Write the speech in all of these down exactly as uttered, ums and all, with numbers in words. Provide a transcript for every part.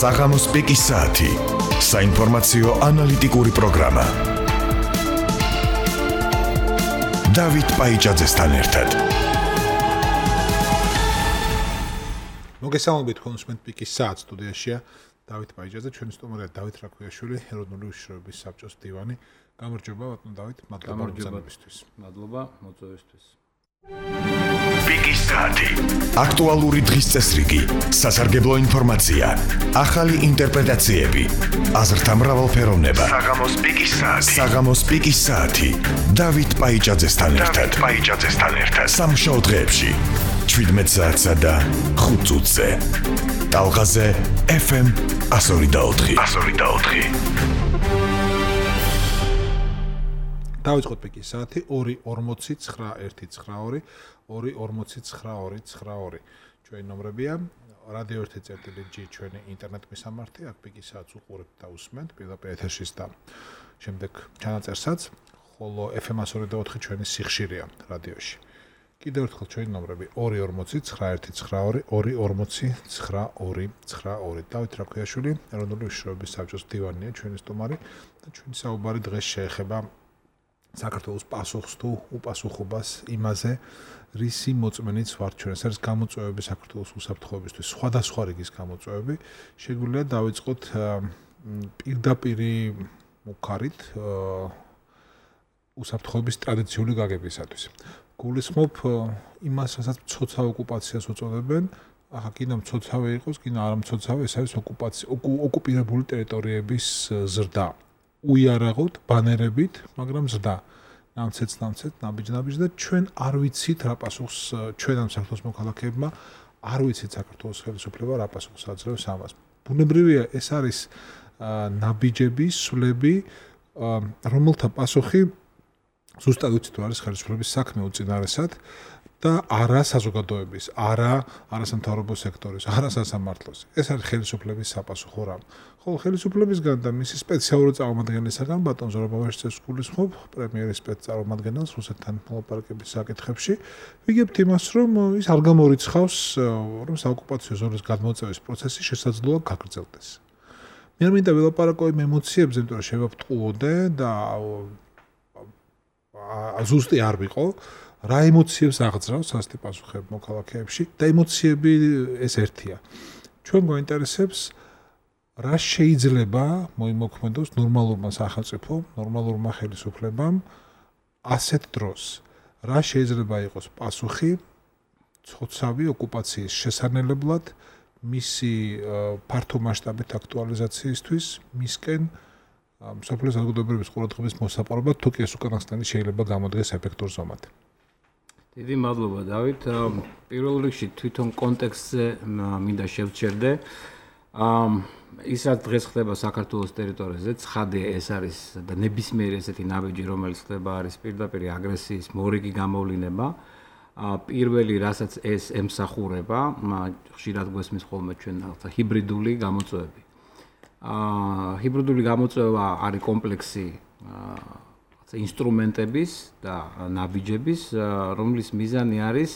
საღამოს პიკის საათი. საინფორმაციო ანალიტიკური პროგრამა. დავით პაიჭაძესთან ერთად. მოგესალმებით კონსუმენტ პიკის საათს სტუდიაშია დავით პაიჭაძე, ჩვენი სტუმარია დავით რაქვიაშვილი, ეროვნული უშიშროების საბჭოს მდივანი. გამარჯობა ბატონო დავით, მადლობა მოწვევისთვის. მადლობა მოწვევისთვის. პიკის საათი. აქტუალური დღის წესრიგი, სასარგებლო ინფორმაცია, ახალი ინტერპრეტაციები, აზრთა მრავალფეროვნება. საღამოს პიკის საათი. საღამოს პიკის საათი. დავით პაიჭაძესთან ერთად. დავით პაიჭაძესთან ერთად. სამშაბათ დღეებში შვიდმეტ საათსა და ხუთ წუთზე. ტალღაზე ეფ ემ one oh four. one oh four. დავიწყოთ პიკის საათი ორი ორმოცი ცხრა ერთი ცხრა ორი ორი ორმოცი ცხრა ორი ცხრა ორი. ჩვენი ნომრებია რადიო ერთი წერტილი ჯი ჩვენი ინტერნეტ მისამართი, აქ პიკის საათს უყურებთ და უსმენთ პირდაპირ ეთერშიც და შემდეგ ჩანაწერსაც, ხოლო ეფ ემ one oh four ჩვენი სიხშირეა რადიოში. კიდევ ერთხელ ჩვენი ნომრები ორი ორმოცი ცხრა ერთი ცხრა ორი ორი ორმოცი ცხრა ორი ცხრა ორი. დავით რაქვიაშვილი, ეროვნული უშიშროების საბჭოს მდივანია ჩვენი სტუმარი და ჩვენი საუბარი დღეს შეეხება საქართველოს პასუხს თუ უპასუხობას იმაზე, რისი მოწმენიც ვართ ჩვენ. ეს არის გამოწვევები საქართველოს უსაფრთხოებისთვის, სხვადასხვა რიგის გამოწვევები. შეგვიძლია დავიწყოთ პირდაპირი მუქარით უსაფრთხოების ტრადიციული გაგებისათვის. გულისხმობ იმას, რასაც მცოცავ ოკუპაციას უწოდებენ. ახლა კიდევ მცოცავი იყოს, კიდევ არა მცოცავი, ეს არის ოკუპაცია, ოკუპირებული ტერიტორიების ზრდა. უიარაღოთ, ბანერებით, მაგრამ ზრდა. ნამცეც, ნამცეც, ნაბიჯ-ნაბიჯ და ჩვენ არ ვიცით რა პასუხს ჩვენ ამ საქართველოს მოქალაქეებმა, არ ვიცით საქართველოს ხელისუფლება რა პასუხს აძლევს ამას. ბუნებრივია, ეს არის ნაბიჯები, სვლები, რომელთა პასუხი ზუსტად ვიცით თუ არის ხელისუფლების საქმე უწინარესად და არა საზოგადოების, არა არასამთავრობო სექტორის, არა სასამართლოს. ეს არის ხელისუფლების საპასუხო რამ. ხოლო ხელისუფლებისგან და მისი სპეციალური წარმომადგენლისგან ბატონ ზურაბავაშიძეს გულისხმობ, პრემიერის სპეცწარმომადგენელს რუსეთთან მოლაპარაკების საკითხებში, ვიგებთ იმას, რომ ის არ გამორიცხავს, რომ საოკუპაციო ზონის გადმოწევის პროცესი შესაძლოა გაგრძელდეს. მე არ მინდა ვილაპარაკო იმ ემოციებზე, იმიტომ რომ შევაპტყუოდე და ზუსტი არ ვიყო. რა ემოციებს აღძრავს ასეთი პასუხები მოქალაქეებში და ემოციები ეს ერთია. ჩვენ გვაინტერესებს რა შეიძლება მოიმოქმედოს ნორმალურმა სახელმწიფომ, ნორმალურმა ხელისუფლებამ ასეთ დროს. რა შეიძლება იყოს პასუხი ცოცავი ოკუპაციის შესანელებლად, მისი ფართო მასშტაბით აქტუალიზაციისთვის, მისკენ მსოფლიოს საზოგადოებრივი ყურადღების მოსაპარებლად, თუ კი ეს უკანასკნელი შეიძლება გამოდგეს ეფექტურ ზომად. დიდი მადლობა დავით. პირველ რიგში თვითონ კონტექსტზე მინდა შევჩერდე. ისაც დღეს ხდება საქართველოს ტერიტორიაზე, ცხადია ეს არის და ნებისმიერი ესეთი ნაბიჯი, რომელიც ხდება, არის პირდაპირ აგრესიის მორიგი გამოვლინება. პირველი, რასაც ეს ემსახურება, ხშირად გვესმის ხოლმე ჩვენ რაღაცა ჰიბრიდული გამოწვევები. ჰიბრიდული გამოწვევა არის კომპლექსი ინსტრუმენტების და ნაბიჯების, რომლის მიზანი არის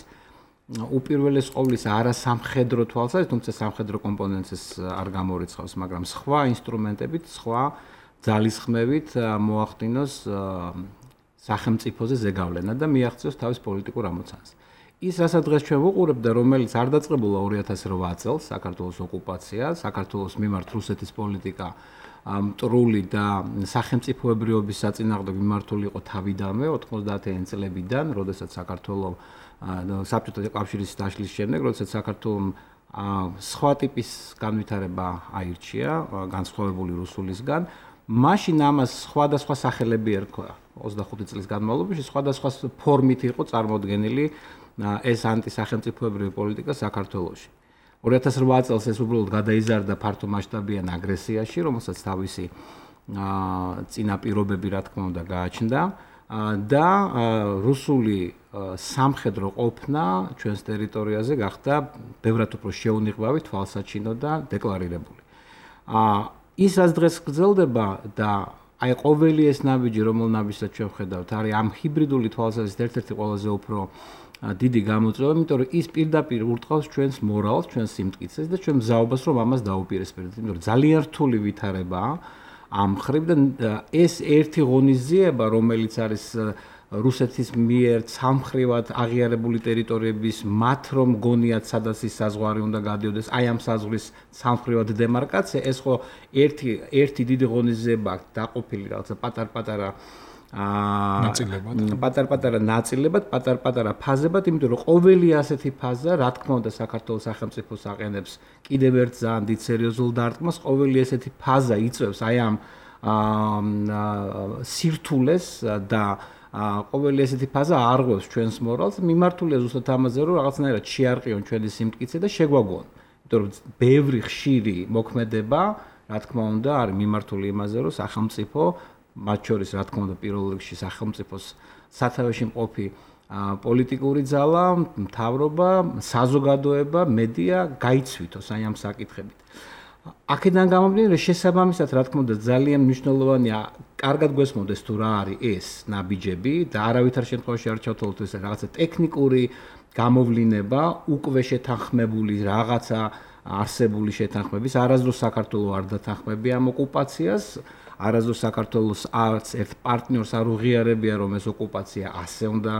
უპირველეს ყოვლისა არა სამხედრო თვალსაზრისით, თუმცა სამხედრო კომპონენტს არ გამორიცხავს, მაგრამ სხვა ინსტრუმენტებით, სხვა ძალისხმევით მოახდინოს სახელმწიფოზე ზეგავლენა და მიაღწიოს თავის პოლიტიკურ ამოცანას. ის, რასაც დღეს ჩვენ ვუყურებთ და რომელიც არ დაწყებულა ორი ათას რვა წელს, საქართველოს ოკუპაცია, საქართველოს მიმართ რუსეთის პოლიტიკა მტრული და სახელმწიფოებრიობის საწინააღმდეგო მიმართული იყო თავიდანვე ოთხმოცდაათიანი წლებიდან, როდესაც საქართველოს საბჭოთა კავშირის დაშლის შემდეგ, როდესაც საქართველოს სხვა ტიპის განვითარება აირჩია, განსხვავებული რუსულისგან, მაშინ ამას სხვადასხვა სახელები ერქვა. ოცდახუთი წლის განმავლობაში სხვადასხვა ფორმით იყო წარმოდგენილი ეს ანტისახელმწიფოებრივი პოლიტიკა საქართველოში. ორი ათას რვა წელს ეს უბრალოდ გადაიზარდა ფართო მასშტაბიან აგრესიაში, რომელსაც თავისი წინაპირობები რა თქმა უნდა გააჩნდა და რუსული სამხედრო ყოფნა ჩვენს ტერიტორიაზე გახდა ბევრად უფრო შეუნიღბავი, თვალსაჩინო და დეკლარირებული. ის რაც დღეს გრძელდება და აი ყოველი ეს ნაბიჯი, რომელ ნაბიჯსაც ჩვენ ვხედავთ, არის ამ ჰიბრიდული თვალსაზრისით ერთ-ერთი ყველაზე უფრო დიდი გამოწვევა, იმიტომ რომ ის პირდაპირ ურტყავს ჩვენს მორალს, ჩვენს სიმტკიცეს და ჩვენ მზაობას რომ ამას დაუპირისპირდეთ. იმიტომ რომ ძალიან რთული ვითარებაა ამ ხრივ და ეს ერთი ღონისძიება, რომელიც არის რუსეთის მიერ სამხრივად აღიარებული ტერიტორიების მათ რომ გონიათ სადაც ის საზღვარი უნდა გადიოდეს, აი ამ საზღვრის სამხრივად დემარკაცია, ეს ხო ერთი ერთი დიდი ღონისძიება დაყოფილი რაღაცა პატარ-პატარა აა ნაწილებად, პატარ-პატარა ნაწილებად, პატარ-პატარა ფაზებად, იმიტომ რომ ყოველი ასეთი ფაზა, რა თქმა უნდა, საქართველოს სახელმწიფოს აყენებს კიდევ ერთ ძალიან დიდ სერიოზულ დარტყმას, ყოველი ესეთი ფაზა იწვევს აი ამ აა სირთულეს და ყოველი ესეთი ფაზა არღვევს ჩვენს მორალს, მიმართულია ზუსტად ამაზე, რომ რაღაცნაირად შეარყიონ ჩვენი სიმტკიცე და შეგვაგონ. იმიტომ რომ ბევრი ხშირი მოქმედება, რა თქმა უნდა, არის მიმართული იმაზე, რომ სახელმწიფო, მათ შორის, რა თქმა უნდა, პირველ რიგში სახელმწიფოს სათავეში მყოფი პოლიტიკური ძალა, მთავრობა, საზოგადოება, მედია გაიცვითოს აი ამ საკითხებით. აქედან გამომდინარე, რომ შესაბამისად, რა თქმა უნდა, ძალიან მნიშვნელოვანია, კარგად გვესმოდეს თუ რა არის ეს ნაბიჯები და არავითარ შემთხვევაში არ ჩავთვალოთ ეს რაღაცა ტექნიკური გამოვლინება, უკვე შეთანხმებული რაღაცა არსებული შეთანხმების, არასდროს საქართველოს არ დათანხმებია ამ ოკუპაციას, არასდროს საქართველოს არც ერთ პარტნიორს არ უღიარებია, რომ ეს ოკუპაცია ასე უნდა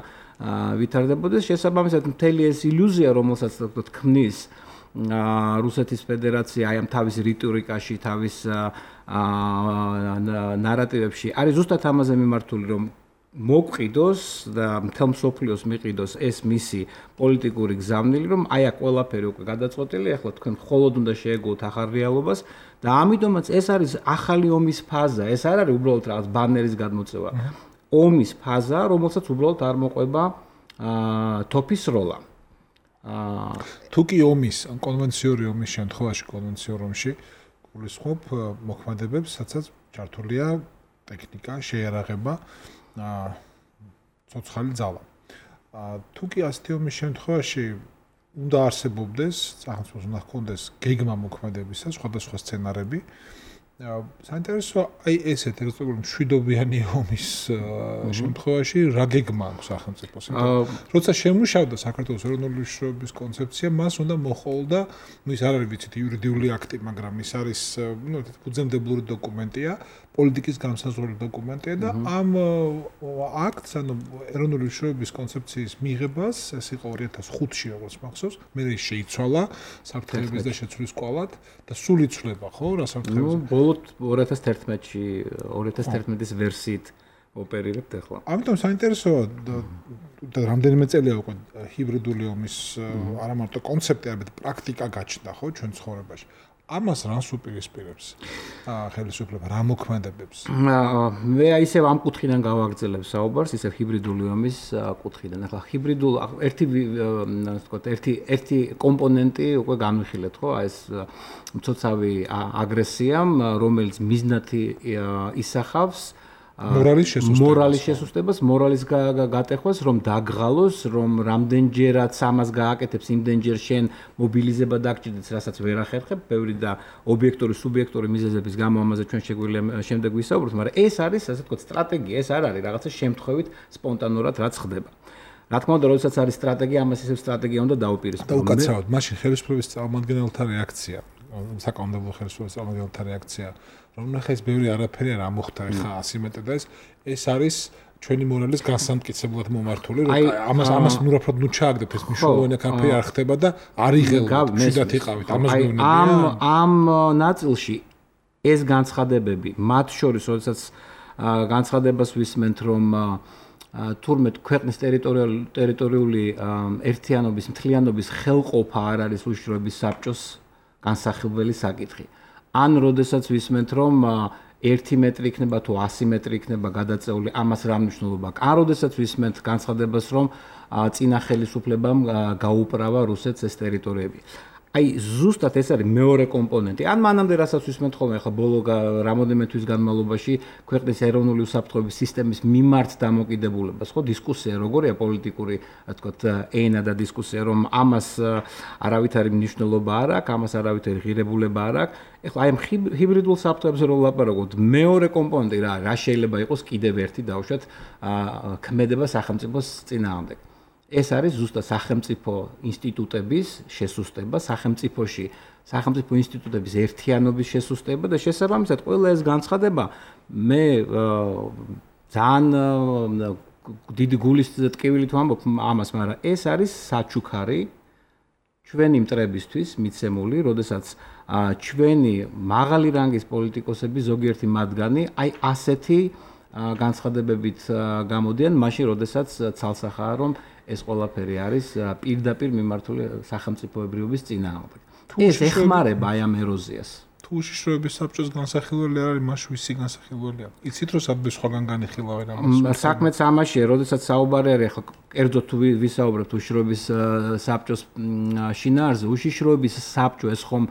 ვითარდებოდეს. შესაბამისად, მთელი ეს ილუზია, რომელსაც თქმნის რუსეთის ფედერაცია აი ამ თავის რიტორიკაში, თავის ნარატივებში არის ზუსტად ამაზე მიმართული, რომ მოგყიდოს და მთელ მსოფლიოს მიყიდოს ეს მისი პოლიტიკური გზავნილი, რომ აი აქ ყველაფერი უკვე გადაწყვეტილი, ახლა თქვენ მხოლოდ უნდა შეეგუოთ ახალ რეალობას და ამიტომაც ეს არის ახალი ომის ფაზა, ეს არ არის უბრალოდ რაღაც ბანერის გადმოწევა. ომის ფაზა, რომელსაც უბრალოდ არ მოყვება თოფის როლა. თუ კი ომის, კონვენციური ომის შემთხვევაში, კონვენციურ ომში გულისხმობ მოქმედებებს, სადაც ჩართულია ტექნიკა, შეიარაღება, ცოცხალი ძალა. თუ კი ასეთი ომის შემთხვევაში უნდა არსებობდეს, სახელმწიფოს უნდა ჰქონდეს გეგმა მოქმედებისა, სხვადასხვა სცენარები. საინტერესო აი ესეთ რეგულარული მშვიდობიანი ომის შემთხვევაში რა გეგმა აქვს სახელმწიფოს? როცა შემუშავდა საქართველოს ეროვნული მნიშვნელობის კონცეფცია, მას უნდა მოჰყოლდა, ну ის არ არის ვიცით იურიდიული აქტი, მაგრამ ის არის, ну ფუძემდებლური დოკუმენტია, პოლიტიკის განსაზღვრელი დოკუმენტია და ამ აქტს, ანუ ეროვნული მნიშვნელობის კონცეფციის მიღებას, ეს იყო ორი ათას ხუთში, როგორც მახსოვს, მე ის შეიცვალა საფრთხეების და შეცვლის კვალად და სულ იცვლება, ხო, რა საფრთხეების ორი ათას თერთმეტში, ორი ათას თერთმეტის ვერსიით ოპერირებთ ახლა. ამიტომ საინტერესოა და რამდენიმე წელია უკვე ჰიბრიდული ომის არა მარტო კონცეფტი, არამედ პრაქტიკა გაჩნდა, ხო, ჩვენ ცხოვრებაში. ამას რანს უპირისპირებს ხელისუფლება, რა მოქმედებებს? მე ისევ ამ კუთხიდან გავაგრძელებ საუბარს, ისევ ჰიბრიდული ომის კუთხიდან. ახლა ჰიბრიდულ ერთი ასე ვთქვათ, ერთი ერთი კომპონენტი უკვე განვიხილეთ, ხო? ეს მცოცავი აგრესია, რომელიც მიზნათი ისახავს მორალის შესუსტებას, მორალის შესუსტებას, მორალის გატეხვას, რომ დაგღალოს, რომ რამდენჯერაც ამას გააკეთებს, იმდენჯერ შენ მობილიზება დაგჭირდეს, რასაც ვერ ახერხებ, ბევრი და ობიექტური, სუბიექტური მიზეზების გამო ამაზე ჩვენ შეგვიძლია შემდეგ ვისაუბროთ, მაგრამ ეს არის, ასე ვთქვათ, სტრატეგია, ეს არ არის რაღაცა შემთხვევით, სპონტანურად რაც ხდება. რა თქმა უნდა, როდესაც არის სტრატეგია, ამას ისევ სტრატეგია უნდა დაუპირისპირო. და უკაცრავად, მაშინ ხელისუფლების წარმომადგენელთა რეაქცია, საკანონმდებლო ხელისუფლების წარმომადგენელთა რეაქცია, რომ ნახე ეს ბევრი არაფერი არ ამოხდა ხა ასი მეტრ და ეს ეს არის ჩვენი მორალის განსამტკიცებლად მომართული, რომ ამას ამას ნურაფრად ნუ ჩააგდებთ, ეს მნიშვნელოვანი კამპანი არ ხდება და არ იღელავთ, შედათ იყავით, ამას მეუბნებიან. ამ ამ ნაწილში ეს განცხადებები, მათ შორის, როდესაც განცხადებას ვისმენთ, რომ თურმე ქვეყნის ტერიტორიული ტერიტორიული ერთიანობის, მთლიანობის ხელყოფა არ არის უშიშროების საბჭოს განსახილველი საკითხი. ან როდესაც ვისმენთ, რომ ერთი მეტრი იქნება თუ ასი მეტრი იქნება გადაწეული, ამას რა მნიშვნელობა აქვს? ან როდესაც ვისმენთ განცხადებას, რომ წინა ხელისუფლებამ გაუპრავა რუსეთს ეს ტერიტორიები. აი ზუსტად ეს არის მეორე კომპონენტი. ან მანამდე რასაც ვისმენთ ხოლმე ახლა ბოლო რამოდენიმე თვის განმავლობაში ქვეყნის ეროვნული უსაფრთხოების სისტემის მიმართ დამოკიდებულებას, ხო, დისკუსია როგორია პოლიტიკური, რა თქვათ, ენა და დისკუსია, რომ ამას არავითარი მნიშვნელობა არ აქვს, ამას არავითარი ღირებულება არ აქვს. ეხლა აი ამ ჰიბრიდულ საფრთხეებზე რო ვლაპარაკობთ, მეორე კომპონენტი რა, რა შეიძლება იყოს კიდევ ერთი დავუშვათ ქმედება სახელმწიფოს წინააღმდეგ. ეს არის ზუსტად სახელმწიფო ინსტიტუტების შესუსტება, სახელმწიფოში, სახელმწიფო ინსტიტუტების ერთიანობის შესუსტება და შესაბამისად ყველა ეს განცხადება მე ძალიან დიდი გულის ტკივილით ვამბობ ამას, მაგრამ ეს არის საჩუქარი ჩვენი მტრებისთვის მიცემული, როდესაც ჩვენი მაღალი რანგის პოლიტიკოსები ზოგიერთი მათგანი აი ასეთი განცხადებებით გამოდიან, მაშინ როდესაც ცალსახაა რომ ეს ყველაფერი არის პირდაპირ მიმართული სახელმწიფოებრიობის წინააღმდეგ. ეს ეხმარება აი ამ ეროზიას. თუ უშიშროების საბჭოს განსახილველი არ არის, მაშინ ვისი განსახილველია? იცით რომ საბჭოს სხვაგან განიხილავენ ამას? საქმეც ამაშია, როდესაც საუბარი არის ახლა კერძოდ თუ ვისაუბრებთ უშიშროების საბჭოს შინაარსზე, უშიშროების საბჭო ეს ხომ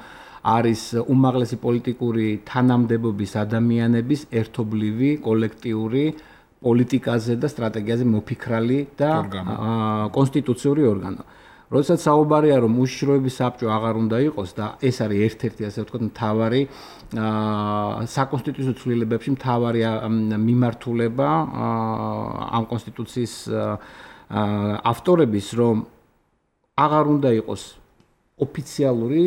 არის უმაღლესი პოლიტიკური თანამდებობის ადამიანების ერთობლივი კოლექტიური პოლიტიკაზე და სტრატეგიაზე მოფიქრალი და კონსტიტუციური ორგანო. როდესაც საუბარია რომ უშიშროების საბჭო აღარ უნდა იყოს და ეს არის ერთ-ერთი ასე ვთქვათ მთავარი საკონსტიტუციო ცვლილებებში მთავარი მიმართულება ამ კონსტიტუციის ავტორების რომ აღარ უნდა იყოს ოფიციალური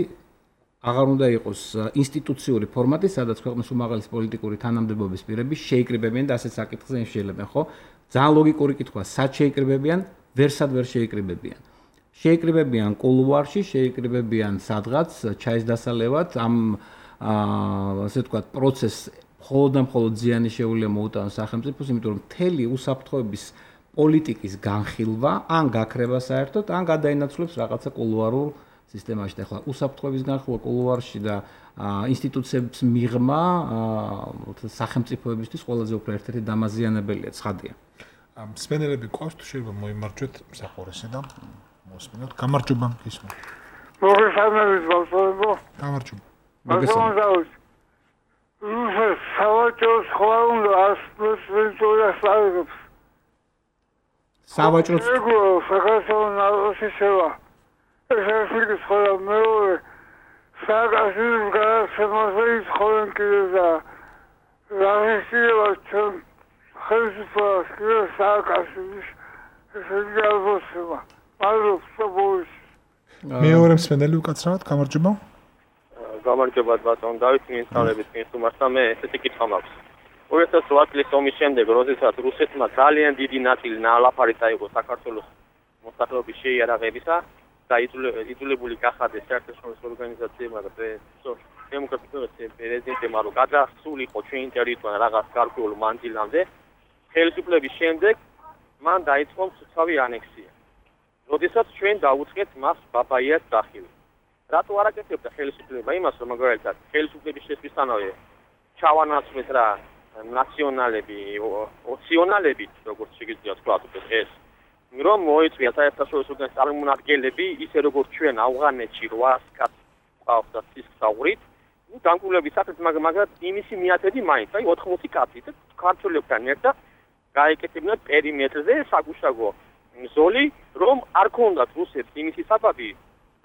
აღარ უნდა იყოს ინსტიტუციური ფორმატი, სადაც ქვეყნის უმაღლესი პოლიტიკური თანამდებობის პირები შეიკრიბებიან და ასეთ საკითხზე შეილებენ, ხო? ძალიან ლოგიკური კითხვაა, სად შეიკრიბებიან, ვერსად ვერ შეიკრიბებიან. შეიკრიბებიან კულუარში, შეიკრიბებიან სადღაც ჩაის დასალევად, ამ ასე ვთქვათ, პროცესს მხოლოდ და მხოლოდ ზიანი შეუძლია მოუტანოს სახელმწიფოს, იმიტომ რომ მთელი უსაფრთხოების პოლიტიკის განხილვა ან გაქრება საერთოდ, ან გადაინაცვლებს რაღაცა კულუარულ სისტემაში. ახლა უსაფრთხოების განხილვა კულუარში და ინსტიტუციების მიღმა სახელმწიფოებისთვის ყველაზე უფრო ერთ-ერთი დამაზიანებელია, ცხადია. მსმენელები გვყავს, თუ შეიძლება მოიმარჯვეთ მსახურესე და მოსმენოთ. გამარჯობა, გისმენთ. მოგესალმებით, ბავშვებო. გამარჯობა. მოგესალმებით. რუსეთს სავაჭროს ხვალ უნდა ასპრესვენტურას აღებს. სავაჭროს საქართველოს ნავსი შევა. ეს ის ხოლმე მეორე საკასის გარსემაზე ხოლმე კიდე და რაღაცა ჩვენ ხელისუფლებას კიდე საკასის ეს გალბოსება მადლობს. მეორე მსმენელი უკაცრავად, გამარჯობა. გამარჯობა ბატონ დავით, მიესალმებით მისუმართა მე ესეთი კითხვა მაქვს. ორი ათას ოთხ წლის ომის შემდეგ, როდესაც რუსეთმა ძალიან დიდი ნაწილი ნალაფარი წაიღო საქართველოს მოსახლეობის შეიარაღებისა და იძულებული გახადეს საერთაშორისო ორგანიზაციებმა და დემოკრატიულ პრეზიდენტებმა რომ გადასულიყო ჩვენი ტერიტორია რაღაც გარკვეულ მანძილამდე, ხელისუფლების შემდეგ მან დაიწყო მცუცავი ანექსია. როდესაც ჩვენ დაუწყეთ მას ბაბაიას დახილვა. რატო არ აკეთებდა ხელისუფლება იმას, რომ მაგალითად ხელისუფლების შესაძლებლობი ჩავანაცვლეს რა ნაციონალები, ოპციონალები, როგორც შეგიძლია ვთქვათ, ეს რომ მოიწვია საერთაშორისო წარმომადგენლები, ისე როგორც ჩვენ ავღანეთში რვას კაცს ყავს და ცისკსაურით, ну დამკვლევების საკითხი მაგრამ იმისი მიათედი მაინც, აი ოთხმოცი კაცი და ქართველებთან ერთად გაეკეთებინათ პერიმეტრზე საგუშაგო ზოლი, რომ არ ქონდათ რუსეთს იმისი საბაბი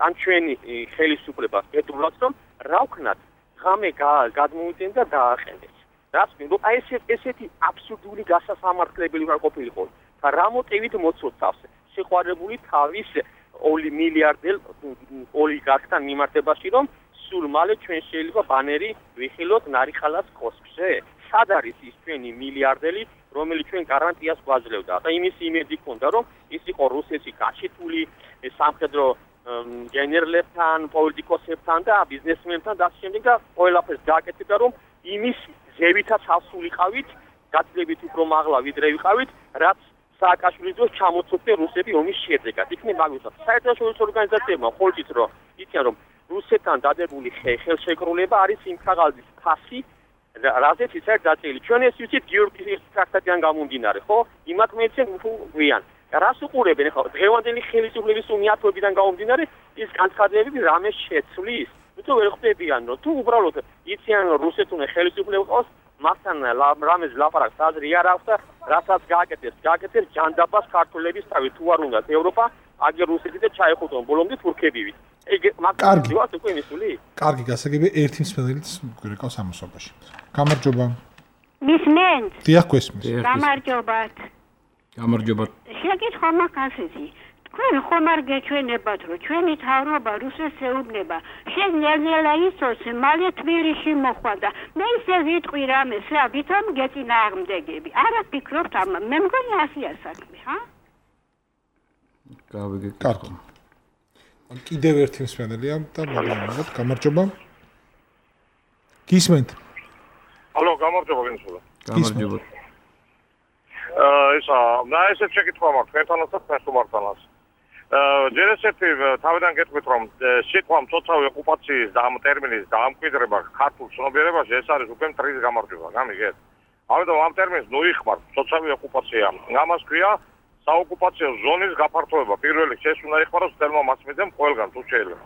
ან ჩვენი ხელისუფლებას ეტყობათ, რომ რა ვქნათ, ღამე გადმოიდნენ და დააყენეს. რაც მინდო აი ესეთი აბსურდული გასასამართლებელი უნდა ყოფილიყო. რა მოტივით მოცოცავს შეყვარებული თავის ორი მილიარდელ ოლიგარქთან მიმართებაში, რომ სულ მალე ჩვენ შეიძლება ბანერი ვიხილოთ ნარიხალას კოსკზე. სად არის ის ჩვენი მილიარდელი, რომელიც ჩვენ გარანტიას გვაძლევდა და იმის იმედი ქონდა, რომ ის იყო რუსეთში გაჩეთული სამხედრო გენერლებთან, პოლიტიკოსებთან და ბიზნესმენებთან და შემდეგ და ყველაფერს გააკეთებდა, რომ იმის ზევითაც ასულიყავით, გაცილებით უფრო მაღლა ვიდრე ვიყავით, რაც სააკაშვილის დროს ჩამოწოდე რუსები ომის შედეგად. იქნებ მაგალითად საერთაშორისო ორგანიზაციებმა ხოლმე რომ იციან რომ რუსეთთან დადებული ხელშეკრულება არის იმ ქაღალდის ფასი, რაზეც ის არის დაწერილი. ჩვენ ეს ვიცით გიორგი ტრაქტატიდან გამომდინარე, ხო? იმათ მეცენ გვიან. რას უყურებენ ხო? დღევანდელი ხელისუფლების უნიათოებიდან გამომდინარე ის განცხადებები რამე შეცვლის. თუ ვერ ხვდებიან, რომ თუ უბრალოდ იციან რომ რუსეთუნე ხელისუფლება ყავს, მაგთან რამეს ლაპარაკს აზრი არ აქვს და რასაც გააკეთებს, გააკეთებს ჯანდაბას ქართველების თავი თუ არ უნდათ ევროპა, აგერ რუსეთი და ჩაეხუტონ ბოლომდე თურქებივით. ეგ მაგ ვართ უკვე მისული? კარგი, გასაგებია ერთი მსმენელიც გვერდავს ამოსობაში. გამარჯობა. მისმენთ? დიახ, გვესმის. გამარჯობათ. გამარჯობათ. შეგეთხო მაგასეთი. თქვენ ხომ არ გეჩვენებათ, რომ ჩვენი თავრობა რუსეთს ეუბნება, შენ ნელ-ნელა იცოს, მალე თბილისში მოხვდა. მე ისე ვიტყვი რამეს, რა, ვითომ გეწინააღმდეგები. არა ფიქრობთ ამ, მე მგონი ასია საქმე, ჰა? კარგი. კიდევ ერთი მსმენელია და მოგესალმებით. გამარჯობა. გისმენთ? ალო, გამარჯობა ვინცულა. გამარჯობა. აა ისა, და ესეც შეკითხვა მაქვს, თქვენთანაც და თქვენთანაც. აა ჯერ ესეთი თავიდან გეტყვით, რომ სიტყვა მცოცავი ოკუპაციის და ამ ტერმინის დაამკვიდრება ქართულ ცნობიერებაში ეს არის უკვე მტრის გამარჯვება, გამიგეთ? ამიტომ ამ ტერმინს ნუიხმართ, მცოცავი ოკუპაცია. ამას ქვია საოკუპაციო ზონის გაფართოება. პირველი ეს უნდა იხმაროს თელმა მასმედიამ ყველგან თუ შეიძლება.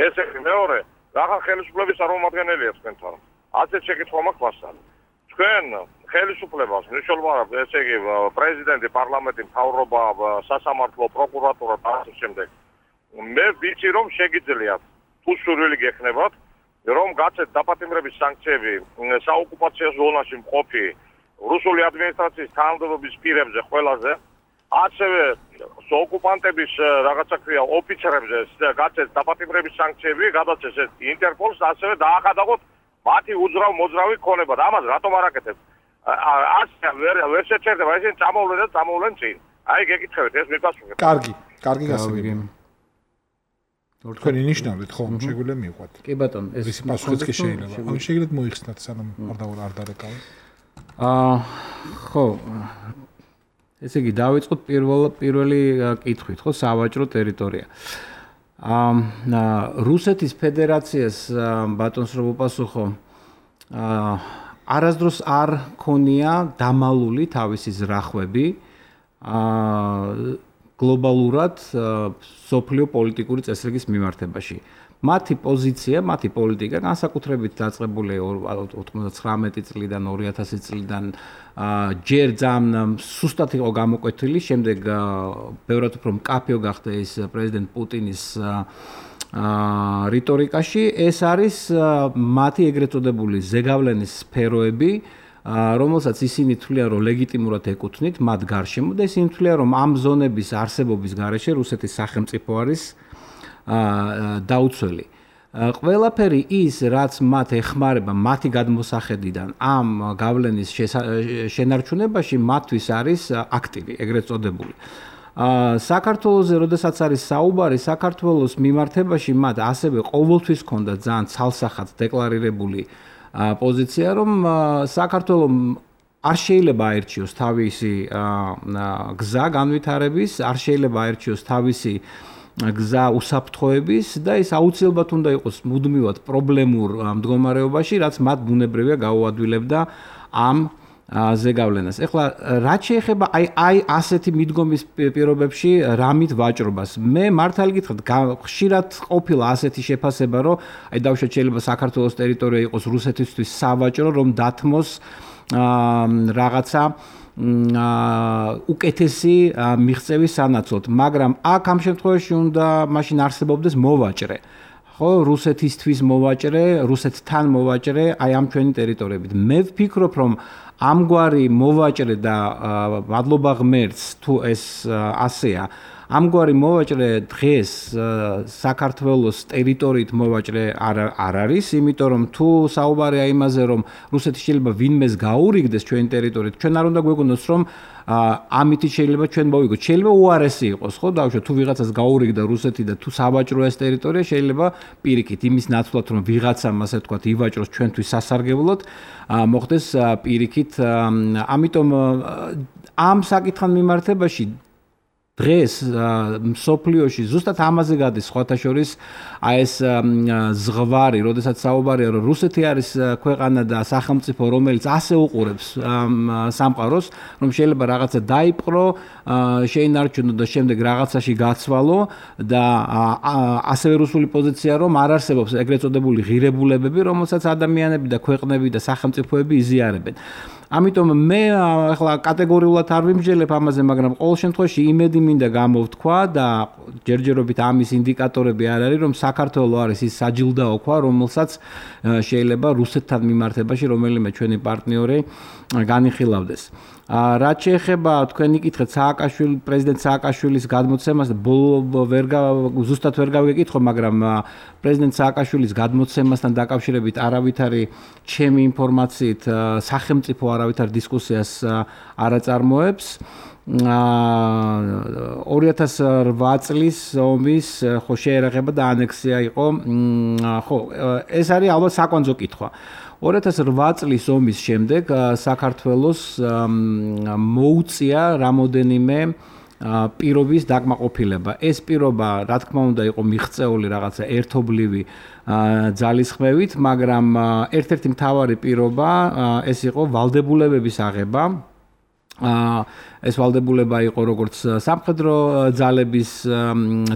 ესე მეორე, რახან ხელისუფლების წარმომადგენელია თქვენთან. ასეთ შეკითხვა მაქვს მასთან. თქვენ ხელისუფლებას მნიშვნელოვნად ესე იგი პრეზიდენტი, პარლამენტი, მთავრობა, სასამართლო, პროკურატურა და ასე შემდეგ. მე ვიცი რომ შეგიძლიათ თუ სურვილი გექნებათ რომ გაცეთ დაპატიმრების სანქციები საოკუპაციო ზონაში მყოფი რუსული ადმინისტრაციის თანამდებობის პირებზე ყველაზე ასევე ოკუპანტების რაღაცა ქვია ოფიცრებზე გაცეთ დაპატიმრების სანქციები, გადაცეს ინტერპოლს, ასევე დაახადაგოთ მათი უძრავ მოძრავი ქონება და ამას რატომ არ აკეთებთ? ასე ვერ ვერ შეჩერდება, ისინი წამოვლენ და წამოვლენ წინ. აი გეკითხებით, ეს მიპასუხეთ. კარგი, კარგი გასაგებია. თქვენ ინიშნავთ ხო? შეგვიძლია მივყვათ. კი ბატონო, ეს პასუხიც კი შეიძლება. ან შეგიძლიათ მოიხსნათ სანამ არ დაურ არ დარეკავთ. აა ხო. ესე იგი დავიწყოთ პირველ პირველი კითხვით, ხო, სავაჭრო ტერიტორია. აა რუსეთის ფედერაციას ბატონს რო უპასუხო, აა არასდროს არ ქონია დამალული თავისი ზრახვები აა გლობალურად სოფლიო პოლიტიკური წესრიგის მიმართებაში. მათი პოზიცია, მათი პოლიტიკა განსაკუთრებით დაწყებული ოცდათხმეტი წლიდან ორი ათასი წლიდან ჯერ ძალიან სუსტად იყო გამოკვეთილი, შემდეგ ბევრად უფრო მკაფიო გახდა ეს პრეზიდენტ პუტინის რიტორიკაში. ეს არის მათი ეგრეთ წოდებული ზეგავლენის სფეროები, რომელსაც ისინი თვლიან, რომ ლეგიტიმურად ეკუთვნით მათ გარშემო და ისინი თვლიან, რომ ამ ზონების არსებობის გარეშე რუსეთის სახელმწიფო არის დაუცველი. ყველაფერი ის, რაც მათ ეხმარება მათი გადმოსახედიდან ამ გავლენის შენარჩუნებაში, მათთვის არის აქტივი, ეგრეთ წოდებული. საქართველოზე, როდესაც არის საუბარი, საქართველოს მიმართებაში მათ ასევე ყოველთვის ჰქონდა ძალიან ცალსახად დეკლარირებული პოზიცია, რომ საქართველოს არ შეიძლება აერჩიოს თავისი გზა განვითარების, არ შეიძლება აერჩიოს თავისი გზა უსაფრთხოების და ეს აუცილებლად უნდა იყოს მუდმივად პრობლემურ მდგომარეობაში, რაც მათ ბუნებრივია გაუადვილებდა ამ ზეგავლენას. ეხლა რაც შეეხება აი აი ასეთი მიდგომის პირობებში რამით ვაჭრობას. მე მართალი გითხრათ, ხშირად ყოფილა ასეთი შეფასება, რომ აი დავუშვათ შეიძლება საქართველოს ტერიტორია იყოს რუსეთისთვის სავაჭრო, რომ დათმოს რაღაცა უკეთესი მიღწევის სანაცვლოდ, მაგრამ აქ ამ შემთხვევაში უნდა მაშინ არსებობდეს მოვაჭრე. ხო, რუსეთისთვის მოვაჭრე, რუსეთთან მოვაჭრე, აი ამ ჩვენი ტერიტორიებით. მე ვფიქრობ, რომ ამგვარი მოვაჭრე და მადლობა ღმერთს თუ ეს ასეა, ამგვარი მოვაჭრე დღეს საქართველოს ტერიტორიით მოვაჭრე არ არ არის, იმიტომ რომ თუ საუბარია იმაზე, რომ რუსეთი შეიძლება ვინმეს გაურიგდეს ჩვენი ტერიტორიით, ჩვენ არ უნდა გვეგონოს, რომ ამით შეიძლება ჩვენ მოვიგოთ. შეიძლება უარესი იყოს, ხო, დავუშვათ, თუ ვიღაცას გაურიგდა რუსეთი და თუ სავაჭროა ეს ტერიტორია, შეიძლება პირიქით იმის ნაცვლად, რომ ვიღაცამ ასე ვთქვათ, ივაჭროს ჩვენთვის სასარგებლოდ, მოხდეს პირიქით. ამიტომ ამ საკითხთან მიმართებაში დღეს მსოფლიოში ზუსტად ამაზე გადის სხვათა შორის აი ეს ზღვარი, როდესაც საუბარია რომ რუსეთი არის ქვეყანა და სახელმწიფო, რომელიც ასე უყურებს სამყაროს, რომ შეიძლება რაღაცა დაიპყრო, შეინარჩუნო და შემდეგ რაღაცაში გაცვალო და ასევე რუსული პოზიცია რომ არ არსებობს ეგრეთ წოდებული ღირებულებები, რომელსაც ადამიანები და ქვეყნები და სახელმწიფოები იზიარებენ. ამიტომ მე ახლა კატეგორიულად არ ვიმსჯელებ ამაზე, მაგრამ ყოველ შემთხვევაში იმედი მინდა გამოვთქვა და ჯერჯერობით ამის ინდიკატორები არ არის, რომ საქართველოს არის ის საჯილდაო ქვა, რომელსაც შეიძლება რუსეთთან მიმართებაში რომელიმე ჩვენი პარტნიორი განიხილავდეს. რაც შეეხება თქვენი კითხეთ სააკაშვილი პრეზიდენტ სააკაშვილის გადმოცემას, ბოლო ვერ ზუსტად ვერ გავეკითხო, მაგრამ პრეზიდენტ სააკაშვილის გადმოცემასთან დაკავშირებით არავითარი ჩემი ინფორმაციით სახელმწიფო არავითარ დისკუსიას არ აწარმოებს. ორი ათას რვა წლის ომის ხო შეერაღება და ანექსია იყო, ხო ეს არის ალბათ საკვანძო კითხვა. ორი ათას რვა წლის ომის შემდეგ საქართველოს მოუწია რამოდენიმე პირობის დაკმაყოფილება. ეს პირობა, რა თქმა უნდა, იყო მიღწეული რაღაცა ერთობლივი ძალისხმევით, მაგრამ ერთ-ერთი მთავარი პირობა ეს იყო ვალდებულებების აღება. ეს ვალდებულება იყო როგორც სამხედრო ძალების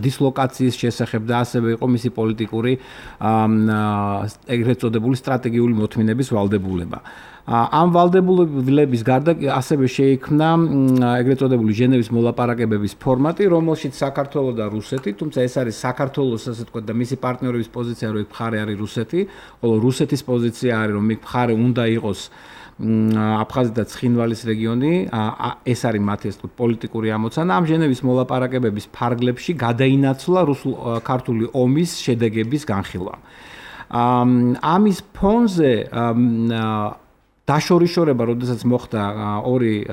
დისლოკაციის შესახებ და ასევე იყო მისი პოლიტიკური ეგრეთ წოდებული სტრატეგიული მოთმინების ვალდებულება. ამ ვალდებულების გარდა ასევე შეიქმნა ეგრეთ წოდებული ჟენევის მოლაპარაკებების ფორმატი, რომელშიც საქართველო და რუსეთი, თუმცა ეს არის საქართველოს ასე ვთქვათ და მისი პარტნიორების პოზიცია, რომ იქ მხარე არის რუსეთი, ხოლო რუსეთის პოზიცია არის, რომ იქ მხარე უნდა იყოს აფხაზეთი და ცხინვალის რეგიონი, ეს არის მათი ასე ვთქვათ პოლიტიკური ამოცანა. ამ ჟენევის მოლაპარაკებების ფარგლებში გადაინაცვლა რუსულ-ქართული ომის შედეგების განხილვა. ამის ფონზე დაშორიშორება, როდესაც მოხდა ორი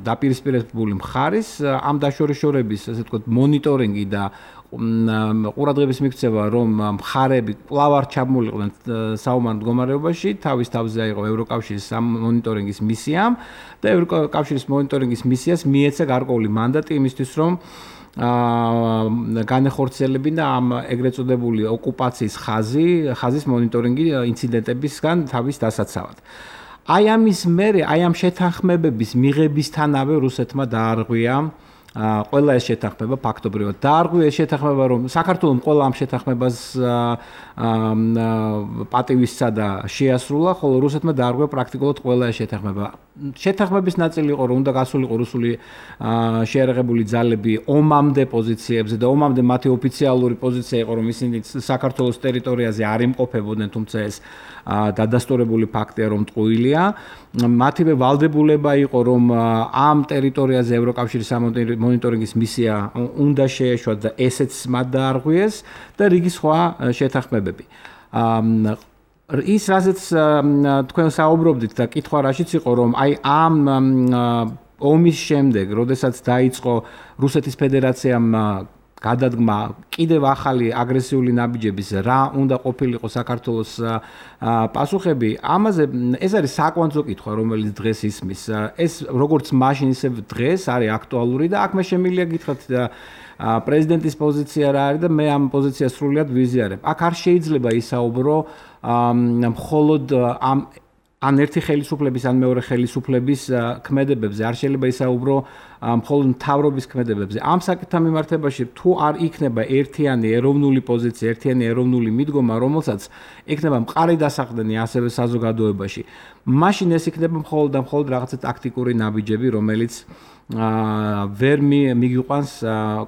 დაპირისპირებული მხარის, ამ დაშორიშორების ასე ვთქვათ მონიტორინგი და ყურადღების მიქცევა, რომ მხარები კვლავ არ ჩამოიყვნენ საომარ მდგომარეობაში, თავის თავზე აიღო ევროკავშირის მონიტორინგის მისიამ და ევროკავშირის მონიტორინგის მისიას მიეცა გარკვეული მანდატი იმისთვის, რომ განეხორციელებინა ამ ეგრეთ წოდებული ოკუპაციის ხაზი, ხაზის მონიტორინგი ინციდენტებისგან თავის დასაცავად. აი ამის მერე, აი ამ შეთანხმებების მიღებისთანავე რუსეთმა დაარღვია ყველა ეს შეთანხმება ფაქტობრივად დაარღვია ეს შეთანხმება, რომ საქართველოს ყველა ამ შეთანხმებას პატივისცა და შეასრულა, ხოლო რუსეთმა დაარღვია პრაქტიკულად ყველა ეს შეთანხმება. შეთანხმების ნაწილი იყო, რომ უნდა გასულიყო რუსული შეერაღებული ძალები ომამდე პოზიციებზე და ომამდე მათი ოფიციალური პოზიცია იყო, რომ ისინი საქართველოს ტერიტორიაზე არ იმყოფებოდნენ, თუმცა ეს დადასტურებული ფაქტია, რომ ტყუილია. მათივე ვალდებულება იყო, რომ ამ ტერიტორიაზე ევროკავშირის მონიტორინგის მისია უნდა შეეშვათ და ესეც მათ დაარღვიეს და რიგი სხვა შეთანხმებები. ის რაზეც თქვენ საუბრობდით და კითხვა რაშიც იყო, რომ აი ამ ომის შემდეგ, როდესაც დაიწყო რუსეთის ფედერაციამ გადადგმა კიდევ ახალი აგრესიული ნაბიჯების რა უნდა ყოფილიყო საქართველოს პასუხები, ამაზე ეს არის საკვანძო კითხვა, რომელიც დღეს ისმის. ეს როგორც მაშინ ისე დღეს არის აქტუალური და აქ მე შემიძლია გითხრათ პრეზიდენტის პოზიცია რა არის და მე ამ პოზიციას სრულიად ვიზიარებ. აქ არ შეიძლება ისაუბრო მხოლოდ ამ ან ერთი ხელისუფლების ან მეორე ხელისუფლების ქმედებებზე, არ შეიძლება ისაუბრო მხოლოდ მთავრობის ქმედებებზე. ამ საკითხთან მიმართებაში თუ არ იქნება ერთიანი ეროვნული პოზიცია, ერთიანი ეროვნული მიდგომა, რომელსაც იქნება მყარი დასაყრდენი ასევე საზოგადოებაში, მაშინ ეს იქნება მხოლოდ და მხოლოდ რაღაცა ტაქტიკური ნაბიჯები, რომელიც ვერ მიგიყვანს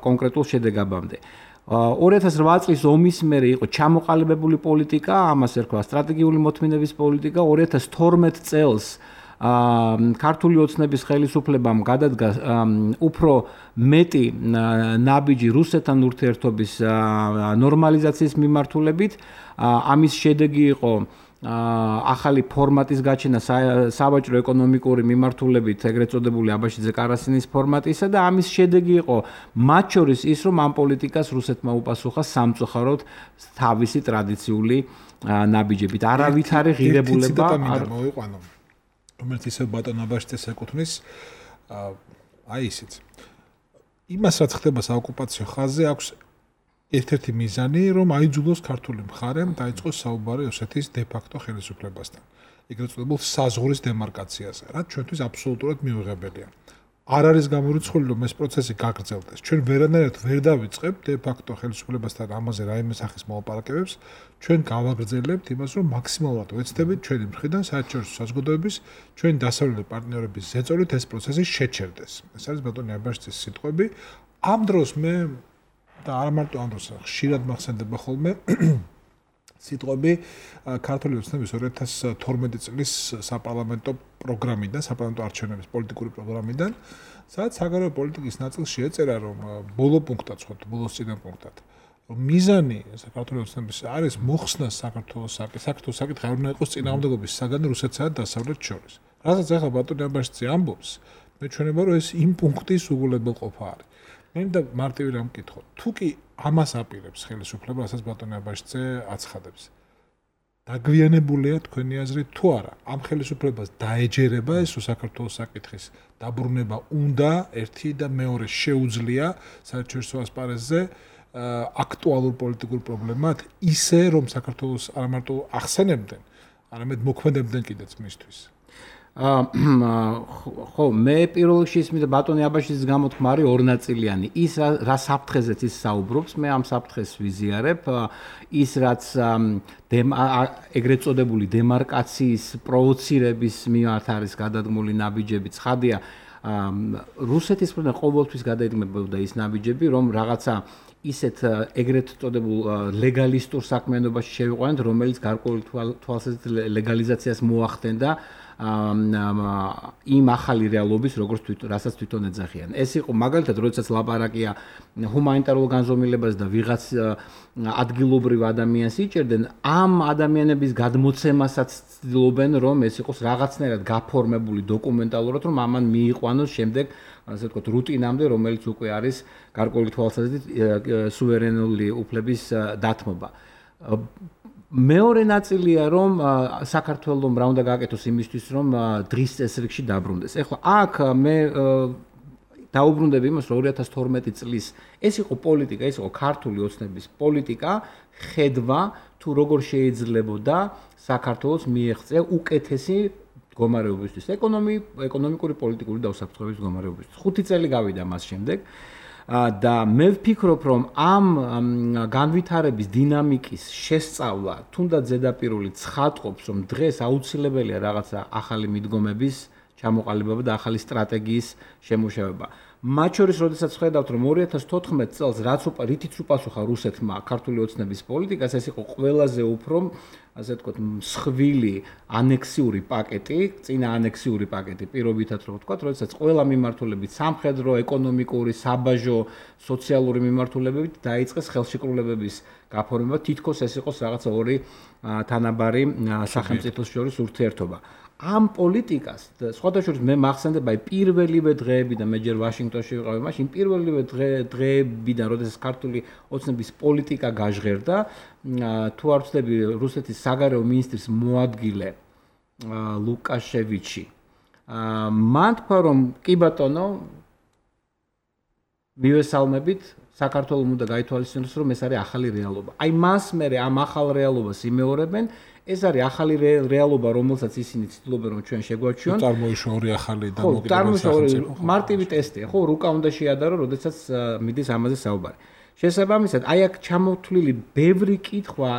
კონკრეტულ შედეგებამდე. ორი ათას რვა წლის ომის მერე იყო ჩამოყალიბებული პოლიტიკა, ამას ერქვა სტრატეგიული მოთმინების პოლიტიკა. ორი ათას თორმეტ წელს ქართული ოცნების ხელისუფლებამ გადადგა უფრო მეტი ნაბიჯი რუსეთთან ურთიერთობის ნორმალიზაციის მიმართულებით. ამის შედეგი იყო ახალი ფორმატის გაჩენა სავაჭრო ეკონომიკური მიმართულებით, ეგრეთ წოდებული აბაშიძე-კარასინის ფორმატისა და ამის შედეგი იყო მათ შორის ის, რომ ამ პოლიტიკას რუსეთმა უპასუხა სამწუხაროდ თავისი ტრადიციული ნაბიჯებით. არავითარი ღირებულება არ მოიყვანო, რომელიც ისე ბატონ აბაშიძეს ეკუთვნის, აი ისიც. იმას რაც ხდება საოკუპაციო ხაზზე აქვს ერთ-ერთი მიზანი, რომ აიძულოს ქართული მხარემ დაიწყოს საუბარი ოსეთის დე-ფაქტო ხელისუფლებასთან. ეგრეთ წოდებულ საზღვრის დემარკაციაზე, რაც ჩვენთვის აბსოლუტურად მიუღებელია. არ არის გამორიცხული, რომ ეს პროცესი გაგრძელდეს. ჩვენ ვერანაირად ვერ დავიწყებთ დე-ფაქტო ხელისუფლებასთან ამაზე რაიმე სახის მოლაპარაკებებს, ჩვენ გავაგრძელებთ იმას, რომ მაქსიმალურად ვეცდებით ჩვენი მხრიდან საერთაშორისო საზოგადოების, ჩვენი დასავლელი პარტნიორების ზეწოლით ეს პროცესი შეჩერდეს. ეს არის ბატონი აბაშიძის სიტყვები. ამ დროს მე და არ მარტო ამ დროს ხშირად მახსენდება ხოლმე სიტყვები ქართული ოცნების ორი ათას თორმეტი წლის საპარლამენტო პროგრამიდან, საპარლამენტო არჩევნების პოლიტიკური პროგრამიდან, სადაც საგარეო პოლიტიკის ნაწილში ეწერა, რომ ბოლო პუნქტად, ხო, ბოლოს წინა პუნქტად, რომ მიზანი საქართველოს ოცნების არის მოხსნა საქართველოს საქართველოს საკითხი არ უნდა იყოს წინააღმდეგობის საგანი რუსეთსა და დასავლეთს შორის. რასაც ახლა ბატონი აბაშიძე ამბობს, მე ჩვენება რომ ეს იმ პუნქტის უგულებელყოფა არის. მე და მარტივი რამ მკითხო, თუ კი ამას აპირებს ხელისუფლება, რასაც ბატონი აბაშიძე აცხადებს. დაგვიანებულია თქვენი აზრით თუ არა? ამ ხელისუფლებას დაეჯერება ეს საქართველოს საკითხის დაბრუნება უნდა ერთი და მეორე შეუძლია საერთაშორისო ასპარეზზე აქტუალურ პოლიტიკურ პრობლემად ისე რომ საქართველოს არ მარტო ახსენებდნენ, არამედ მოქმედებდნენ კიდეც მისთვის. ხო, მე პირველ რიგში ისმის ბატონი აბაშიძის გამოთქმა არის ორნაწილიანი. ის რა საფრთხეზეც ის საუბრობს, მე ამ საფრთხეს ვიზიარებ. ის რაც ეგრეთ წოდებული დემარკაციის პროვოცირების მიმართ არის გადადგმული ნაბიჯები, ცხადია, რუსეთის მხრიდან ყოველთვის გადაიდგმებოდა ის ნაბიჯები, რომ რაღაცა ისეთ ეგრეთ წოდებულ ლეგალისტურ საქმიანობაში შევიყვანეთ, რომელიც გარკვეული თვალსაზრისით ლეგალიზაციას მოახდენდა იმ ახალი რეალობის, როგორც თვითონ, რასაც თვითონ ეძახიან. ეს იყო მაგალითად, როდესაც ლაპარაკია ჰუმანიტარულ განზომილებაზე და ვიღაც ადგილობრივ ადამიანს იჭერდნენ, ამ ადამიანების გადმოცემასაც ცდილობენ, რომ ეს იყოს რაღაცნაირად გაფორმებული დოკუმენტალურად, რომ ამან მიიყვანოს შემდეგ, ასე ვთქვათ, რუტინამდე, რომელიც უკვე არის გარკვეული თვალსაზრისით სუვერენული უფლების დათმობა. მეორე ნაწილია, რომ საქართველოს რა უნდა გააკეთოს იმისთვის, რომ დღის წესრიგში დაბრუნდეს. ეხლა აქ მე დაუბრუნდები იმას, რომ ორი ათას თორმეტი წლის ეს იყო პოლიტიკა, ეს იყო ქართული ოცნების პოლიტიკა, ხედვა თუ როგორ შეიძლებოდა საქართველოს მიეღწია უკეთესი მდგომარეობისთვის, ეკონომიკური, პოლიტიკური და უსაფრთხოების მდგომარეობისთვის. ხუთი წელი გავიდა მას შემდეგ. და მე ვფიქრობ, რომ ამ განვითარების დინამიკის შესწავლა თუნდაც ზედაპირული ცხადყოფს, რომ დღეს აუცილებელია რაღაცა ახალი მიდგომების ჩამოყალიბება და ახალი სტრატეგიის შემუშავება. მათ შორის, როდესაც ხედავთ, რომ ორი ათას თოთხმეტ წელს რაც რითიც უპასუხა რუსეთმა ქართული ოცნების პოლიტიკას, ეს იყო ყველაზე უფრო, ასე ვთქვათ, მსხვილი ანექსიური პაკეტი, წინა ანექსიური პაკეტი, პირობითად რო ვთქვათ, როდესაც ყველა მიმართულებით სამხედრო, ეკონომიკური, საბაჟო, სოციალური მიმართულებებით დაიწყეს ხელშეკრულებების გაფორმება, თითქოს ეს იყოს რაღაცა ორი თანაბარი სახელმწიფოს შორის ურთიერთობა. ამ პოლიტიკას, სხვათა შორის მე მახსენდება პირველივე დღეები და მე ჯერ ვაშინგტონში ვიყავი, მაშინ პირველივე დღეებიდან, როდესაც ქართული ოცნების პოლიტიკა გაჟღერდა, თუ არ ვცდები, რუსეთის საგარეო მინისტრის მოადგილე ლუკაშევიჩი მან თქვა, რომ კი ბატონო, მივესალმებით, საქართველოს უნდა გაითვალისწინოს, რომ ეს არის ახალი რეალობა. აი მას მე ამ ახალ რეალობას იმეორებენ. ეს არის ახალი რეალობა, რომელსაც ისინი ცდილობენ, რომ ჩვენ შეგვაჩვიონ. წარმოიშვა ორი ახალი დამოკიდებულება სახელმწიფო. მარტივი ტესტია, ხო, რუკა უნდა შეადარო, როდესაც მიდის ამაზე საუბარი. შესაბამისად, აი აქ ჩამოთვლილი ბევრი კითხვა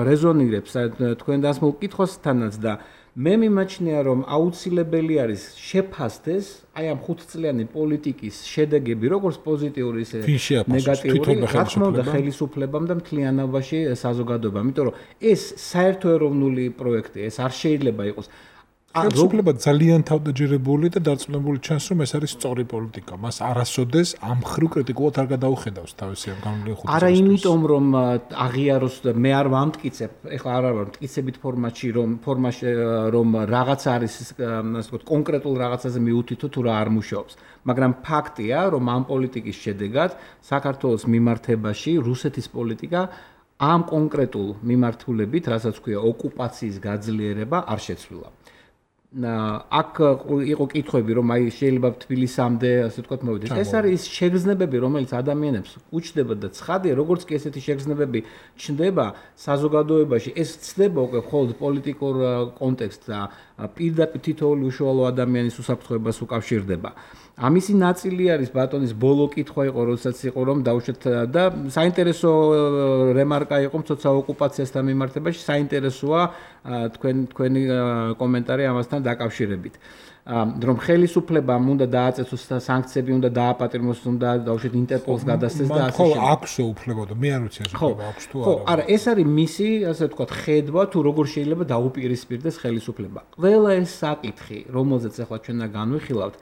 რეზონირებს თქვენ დასმულ კითხვასთანაც და მე მიმაჩნია, რომ აუცილებელი არის შეფასდეს აი ამ ხუთწლიანი პოლიტიკის შედეგები, როგორც პოზიტიური, ისე ნეგატიური, რა თქმა უნდა, ხელისუფლებამ და მთლიანობაში საზოგადოებამ, იმიტომ რომ ეს საერთო ეროვნული პროექტია, ეს არ შეიძლება იყოს. ხელისუფლება ძალიან თავდაჯერებული და დარწმუნებული ჩანს, რომ ეს არის სწორი პოლიტიკა. მას არასოდეს ამ ხრივ კრიტიკულად არ გადაუხედავს თავისი ამ განვლილი ხუთი წელი. არა იმიტომ, რომ აღიაროს მე არ ვამტკიცებ, ეხლა არ ვარ მტკიცებით ფორმატში, რომ ფორმაში რომ რაღაც არის, ასე ვთქვათ, კონკრეტულ რაღაცაზე მიუთითო თუ რა არ მუშაობს. მაგრამ ფაქტია, რომ ამ პოლიტიკის შედეგად საქართველოს მიმართებაში რუსეთის პოლიტიკა ამ კონკრეტულ მიმართულებით, რასაც ქვია ოკუპაციის გაძლიერება, არ შეცვლილა. აქ იყო კითხვები, რომ აი შეიძლება თბილისამდე, ასე ვთქვათ, მოვიდეს. ეს არის ის შეგრძნებები, რომელიც ადამიანებს უჩნდება და ცხადია, როგორც კი ესეთი შეგრძნებები ჩნდება საზოგადოებაში, ეს ცდება უკვე მხოლოდ პოლიტიკურ კონტექსტს და პირდაპირ თითოეული უშუალო ადამიანის უსაფრთხოებას უკავშირდება. ამისი ნაწილი არის ბატონის ბოლო კითხვა იყო, როდესაც იყო რომ დაუშვათ და საინტერესო რემარკა იყო მცოცავ ოკუპაციასთან მიმართებაში, საინტერესოა თქვენ თქვენი კომენტარი ამასთან დაკავშირებით. რომ ხელისუფლებამ უნდა დააწესოს და სანქციები უნდა დააპატიმროს, უნდა დაუშვათ ინტერპოლს გადასცეს და ასე შემდეგ. ხო, აქვსო უფლება და მე არ ვიცი ეს უფლება აქვს თუ არა. ხო, არა, ეს არის მისი, ასე ვთქვათ, ხედვა თუ როგორ შეიძლება დაუპირისპირდეს ხელისუფლება. ყველა ეს საკითხი, რომელზეც ახლა ჩვენ და განვიხილავთ,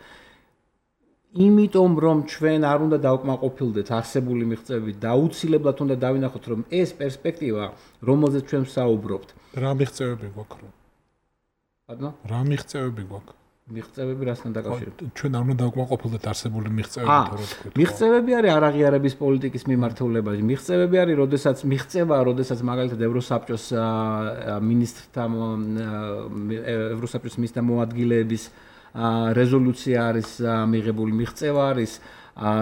იმიტომ რომ ჩვენ არ უნდა დავკმაყოფილდეთ არსებული მიღწევებით და აუცილებლად უნდა დავინახოთ რომ ეს პერსპექტივა რომელზეც ჩვენ ვსაუბრობთ რა მიღწევები გვაქვს რომ ბატონო რა მიღწევები გვაქვს მიღწევები რასთან დაკავშირებით ჩვენ არ უნდა დავკმაყოფილდეთ არსებული მიღწევებით თორე თქვით მიღწევები არის არაღიარების პოლიტიკის მიმართულებაში მიღწევები არის როდესაც მიღწევა როდესაც მაგალითად ევროსაბჭოს მინისტრთა ევროსაბჭოს მინისტრთა მოადგილეების რეზოლუცია არის მიღებული მიღწევა არის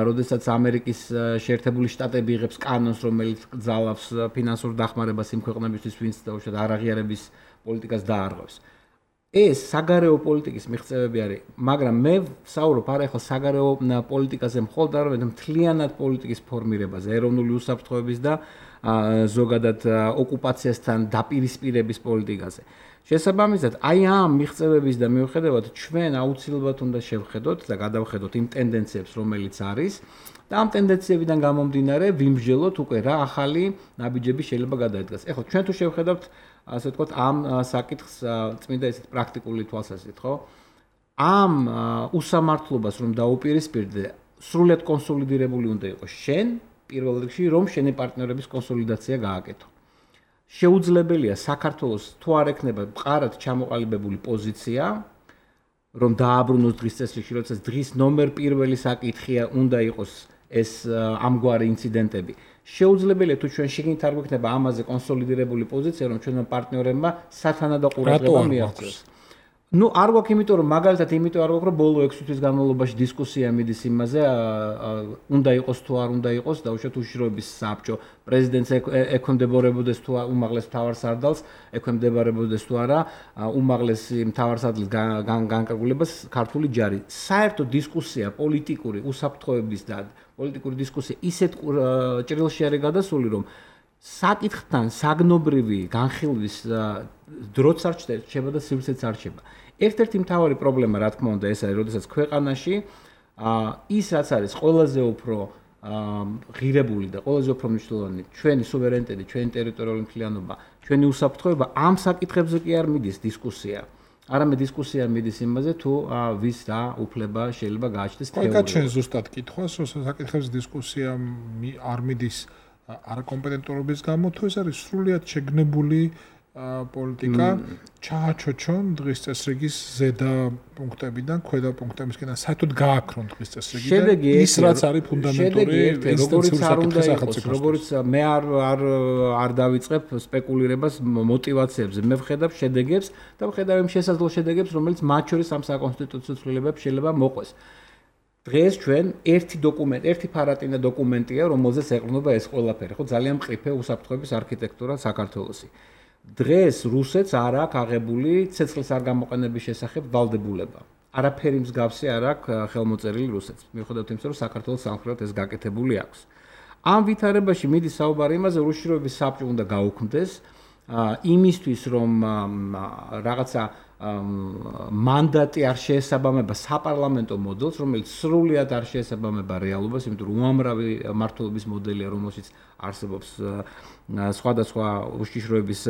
როდესაც ამერიკის შეერთებული შტატები იღებს კანონს რომელიც გძალავს ფინანსურ დახმარებას იმ ქვეყნებისთვის ვინც დაუშვათ არაღიარების პოლიტიკას დაარღვევს ეს საგარეო პოლიტიკის მიღწევები არის მაგრამ მე ვსაუბრობ არა ახლა საგარეო პოლიტიკაზე მხოლოდ არამედ მთლიანად პოლიტიკის ფორმირებაზე ეროვნული უსაფრთხოების და ზოგადად ოკუპაციასთან დაპირისპირების პოლიტიკაზე შესაბამისად, აი ამ მიღწევების და მიუხედავად ჩვენ აუცილებლად უნდა შევხედოთ და გადავხედოთ იმ ტენდენციებს, რომელიც არის და ამ ტენდენციებიდან გამომდინარე ვიმსჯელოთ უკვე რა ახალი ნაბიჯები შეიძლება გადაიდგას. ეხლა ჩვენ თუ შევხედავთ, ასე ვთქვათ, ამ საკითხს წმინდა ესეთ პრაქტიკული თვალსაზრისით, ხო? ამ უსამართლობას რომ დაუპირისპირდე, სრულად კონსოლიდირებული უნდა იყოს შენ, პირველ რიგში, რომ შენი პარტნიორების კონსოლიდაცია გააკეთო. შეუძლებელია საქართველოს თუ არ ექნება მყარად ჩამოყალიბებული პოზიცია, რომ დააბრუნოს დღის წესრიგში, როდესაც დღის ნომერ პირველი საკითხია უნდა იყოს ეს ამგვარი ინციდენტები. შეუძლებელია თუ ჩვენ შეგინით არ გვექნება ამაზე კონსოლიდირებული პოზიცია, რომ ჩვენმა პარტნიორებმა სათანადო ყურადღება მიაღწიოს. Ну, არ გვაქვს იმიტომ რომ მაგალითად იმიტომ არ გვაქვს რომ ბოლო ექვსი თვის განმავლობაში დისკუსია მიდის იმაზე, უნდა იყოს თუ არ უნდა იყოს, დაუშვათ უშიშროების საბჭო, პრეზიდენტს ექვემდებარებოდეს თუ უმაღლეს მთავარსარდალს, ექვემდებარებოდეს თუ არა, უმაღლეს მთავარსარდლის განკარგულებას ქართული ჯარი. საერთო დისკუსია პოლიტიკური უსაფრთხოების და პოლიტიკური დისკუსია ისეთ ჭრილში არის გადასული, რომ საკითხთან საგნობრივი განხილვის დროც არ რჩება და სივრცეც არ რჩება. ერთ-ერთი მთავარი პრობლემა, რა თქმა უნდა, ეს არის, როდესაც ქვეყანაში ის რაც არის ყველაზე უფრო ღირებული და ყველაზე უფრო მნიშვნელოვანი, ჩვენი სუვერენიტეტი, ჩვენი ტერიტორიული მთლიანობა, ჩვენი უსაფრთხოება, ამ საკითხებზე კი არ მიდის დისკუსია. არამედ დისკუსია მიდის იმაზე, თუ ვის რა უფლება შეიძლება გააჩნდეს თეორიულად. კაი, ჩვენ ზუსტად კითხავს, რომ საკითხებზე დისკუსია არ მიდის არაკომპეტენტურობის გამო, თუ ეს არის სრულიად შეგნებული პოლიტიკა, ჩააჩოჩონ დღის წესრიგის ზედა პუნქტებიდან, ქვედა პუნქტებისკენ, საერთოდ გააქრონ დღის წესრიგი და ის რაც არის ფუნდამენტური როგორც არ უნდა იყოს, როგორც მე არ არ არ დავიწყებ სპეკულირებას мотиваციებზე, მე ვხედავ შედეგებს და ვხედავ იმ შესაძლო შედეგებს, რომელიც მათ შორის ამ საკონსტიტუციო ცვლილებებს შეიძლება მოყვეს. დღეს ჩვენ ერთი დოკუმენტი, ერთი ფარატინა დოკუმენტია, რომელზეც ეყრდნობა ეს ყველაფერი, ხო, ძალიან მყიფე უსაფრთხოების არქიტექტურა საქართველოსი. დღეს რუსეთს არ აქვს აღებული ცეცხლის არ გამოყენების შესახებ ვალდებულება. არაფერი მსგავსი არ აქვს ხელმოწერილი რუსეთს. მიუხედავად იმისა, რომ საქართველოს სამხრეთ ეს გაკეთებული აქვს. ამ ვითარებაში მიდის საუბარი იმაზე, რომ უშიშროების საბჭო უნდა გაუქმდეს იმისთვის, რომ რაღაცა მანდატი არ შეესაბამება საპარლამენტო მოდელს, რომელიც სრულიად არ შეესაბამება რეალობას, იმიტომ რომ უამრავი მმართველობის მოდელია, რომელშიც არსებობს სხვადასხვა უშიშროების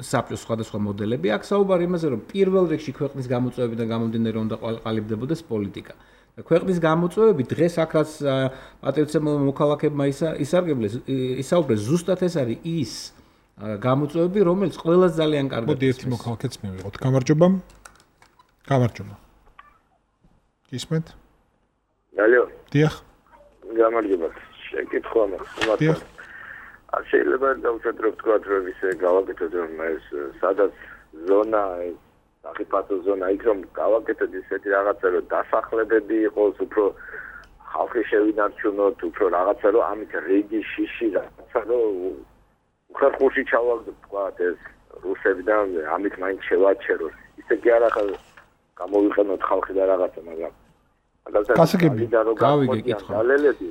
საბჭოს სხვადასხვა მოდელები. აქ საუბარი იმაზე, რომ პირველ რიგში ქვეყნის გამოწვევებიდან გამომდინარე უნდა ყალიბდებოდეს პოლიტიკა. და ქვეყნის გამოწვევები დღეს აქ რაც პატრიოტებმა მოქალაქეებმა ისარგებლეს, ისაუბრეს ზუსტად ეს არის ის გამოწვევები, რომელიც ყველას ძალიან კარგად. მოდი ერთი მოქალაქეც მივიღოთ. გამარჯობა. გამარჯობა. გისმენთ? ალო. დიახ. გამარჯობა. შეკითხვა მაქვს. დიახ. არ შეიძლება დავუშვათ რომ თქვა რომ ისე გავაკეთოთ რომ ეს სადაც ზონა საფათო ზონა იქ რომ გავაკეთოთ ისეთი რაღაცა რომ დასახლებები იყოს, უფრო ხალხი შევინარჩუნოთ, უფრო რაღაცა რომ ამით რეგი შიში რაღაცა რომ უხერხულში ჩავაგდოთ თქვათ ეს რუსებიდან ამით მაინც შევაჩეროს. ისე კი არა ხარ გამოვიყენოთ ხალხი და რაღაცა, მაგრამ გასაგები გავიგე კითხვა. დალელები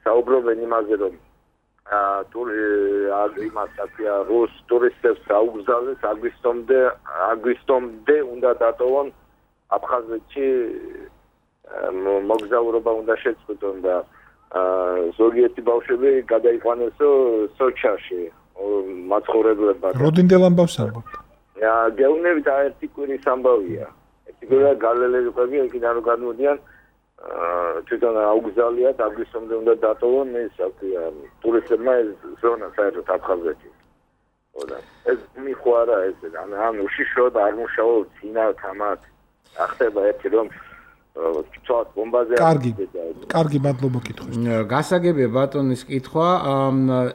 საუბრობენ იმაზე რომ აა ტური იმას აკია რუს ტურისტებს აუგზავნეს აგვისტომდე აგვისტომდე უნდა დატოვონ აფხაზეთში მოგზაურობა უნდა შეწყვიტონ და ზოგიერთი ბავშვები გადაიყვანესო სოჩაში მაცხოვრებლებად. როდინდელ ამბავს ამბობთ? აა გეუბნებით ერთი კვირის ამბავია. ერთი კვირა გალელები ყვები იქიდან რომ გადმოდიან თვითონ აუგზავნიათ აგვისტომდე უნდა დატოვონ ეს აკია ტურისტებმა ეს ზონა საერთოდ აფხაზეთში. ოდა ეს მიხوارა ეს ან ან უშიშროდ არ მუშაობ ძინა თამათ ახდება ერთი რომ ცოტ ბომბაზე კარგი კარგი მადლობა კითხვის. გასაგებია ბატონის კითხვა.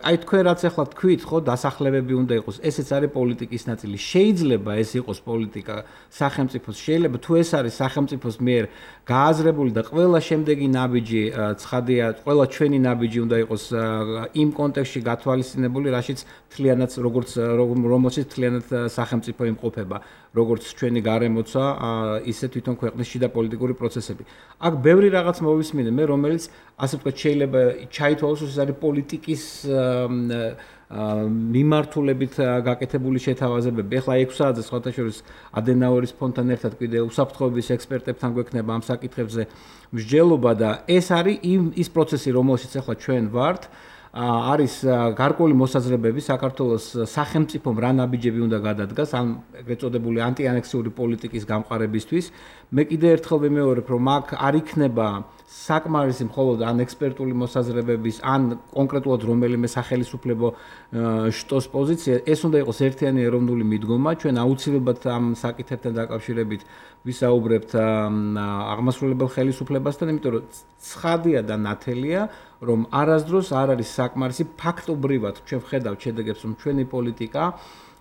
აი თქვენ რაც ახლა თქვით ხო დასახლებები უნდა იყოს. ესეც არის პოლიტიკის ნაწილი. შეიძლება ეს იყოს პოლიტიკა სახელმწიფოს. შეიძლება თუ ეს არის სახელმწიფოს მიერ გააზრებული და ყველა შემდეგი ნაბიჯი ცხადია, ყველა ჩვენი ნაბიჯი უნდა იყოს იმ კონტექსტში გათვალისწინებული, რაშიც თლიანად როგორც რომელშიც თლიანად სახელმწიფო იმყოფება, როგორც ჩვენი გარემოცა, ისე თვითონ ქვეყნის შიდა პოლიტიკური პროცესები. აქ ბევრი რაღაც მოვისმინე მე, რომელიც ასე ვთქვათ შეიძლება ჩაითვალოს, ეს არის პოლიტიკის მიმართულებით გაკეთებული შეთავაზებები. ახლა ექვსი საათზე სხვათა შორის ადენაურის ფონდთან ერთად კიდე უსაფრთხოების ექსპერტებთან გვექნება ამ საკითხებზე მსჯელობა და ეს არის იმ ის პროცესი, რომელშიც ახლა ჩვენ ვართ. არის გარკვეული მოსაზრებები საქართველოს სახელმწიფომ რა ნაბიჯები უნდა გადადგას ან ეგრეთ წოდებული ანტიანექსიური პოლიტიკის გამყარებისთვის. მე კიდე ერთხელ ვიმეორებ, რომ აქ არ იქნება საკმარისი მხოლოდ ან ექსპერტული მოსაზრებების ან კონკრეტულად რომელიმე სახელმწიფო შტოს პოზიცია, ეს უნდა იყოს ერთიანი ეროვნული მიდგომა. ჩვენ აუცილებლად ამ საკითხებთან დაკავშირებით ვისაუბრებთ აღმასრულებელ ხელისუფლებასთან, იმიტომ რომ ცხადია და ნათელია, რომ არასდროს არ არის საკმარისი ფაქტობრივად ჩვენ ვხედავთ შედეგებს, რომ ჩვენი პოლიტიკა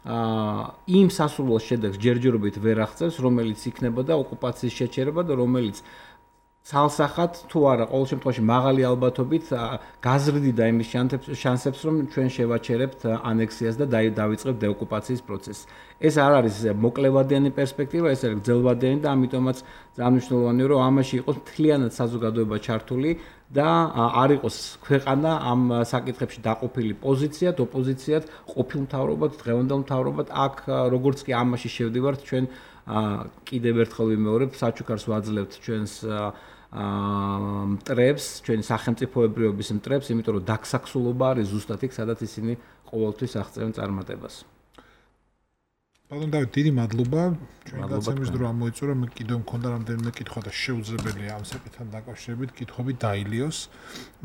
იმ სასურველ შედეგს ჯერჯერობით ვერ აღწევს, რომელიც იქნებოდა ოკუპაციის შეჩერება და რომელიც ცალსახად თუ არა ყოველ შემთხვევაში მაღალი ალბათობით გაზრდიდა იმის შანსებს, რომ ჩვენ შევაჩერებთ ანექსიას და დავიწყებთ დეოკუპაციის პროცესს. ეს არ არის მოკლევადიანი პერსპექტივა, ეს არის გრძელვადიანი და ამიტომაც ძალიან მნიშვნელოვანია, რომ ამაში იყოს მთლიანად საზოგადოება ჩართული და არ იყოს ქვეყანა ამ საკითხებში დაყოფილი პოზიციად, ოპოზიციად, ყოფილ მთავრობად, დღევანდელ მთავრობად. აქ როგორც კი ამაში შევდივართ, ჩვენ კიდევ ერთხელ ვიმეორებ, საჩუქარს ვაძლევთ ჩვენს მტრებს, ჩვენი სახელმწიფოებრიობის მტრებს, იმიტომ რომ დაქსაქსულობა არის ზუსტად იქ, სადაც ისინი ყოველთვის აღწევენ წარმატებას. ბატონ დავით, დიდი მადლობა. ჩვენი გაცემის დრო ამოიწურა, მე კიდევ მქონდა რამდენიმე კითხვა და შეუძლებელია ამ საკითხთან დაკავშირებით კითხვები დაილიოს,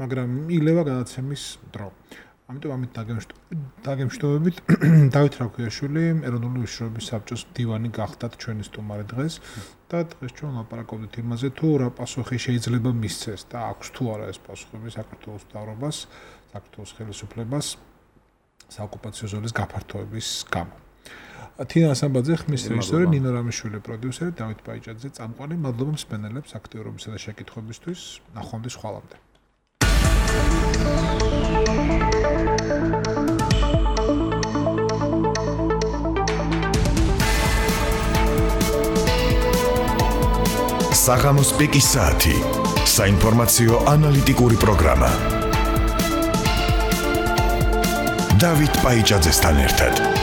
მაგრამ ილევა გადაცემის დრო. ამიტომ ამით დაგემშვიდობებით დავით რაქვიაშვილი, ეროვნული უშიშროების საბჭოს მდივანი გახდათ ჩვენი სტუმარი დღეს და დღეს ჩვენ ლაპარაკობდით იმაზე, თუ რა პასუხი შეიძლება მისცეს და აქვს თუ არა ეს პასუხები საქართველოს მთავრობას, საქართველოს ხელისუფლებას საოკუპაციო ზონის გაფართოების გამო. თინა ასამბაძე, ხმის რეჟისორი, ნინო რამიშვილი პროდიუსერი, დავით პაიჭაძე წამყვანი. მადლობა მსმენელებს აქტიურობისა და შეკითხვებისთვის. ნახვამდის ხვალამდე. საღამოს პიკის საათი. საინფორმაციო ანალიტიკური პროგრამა. დავით პაიჭაძესთან ერთად.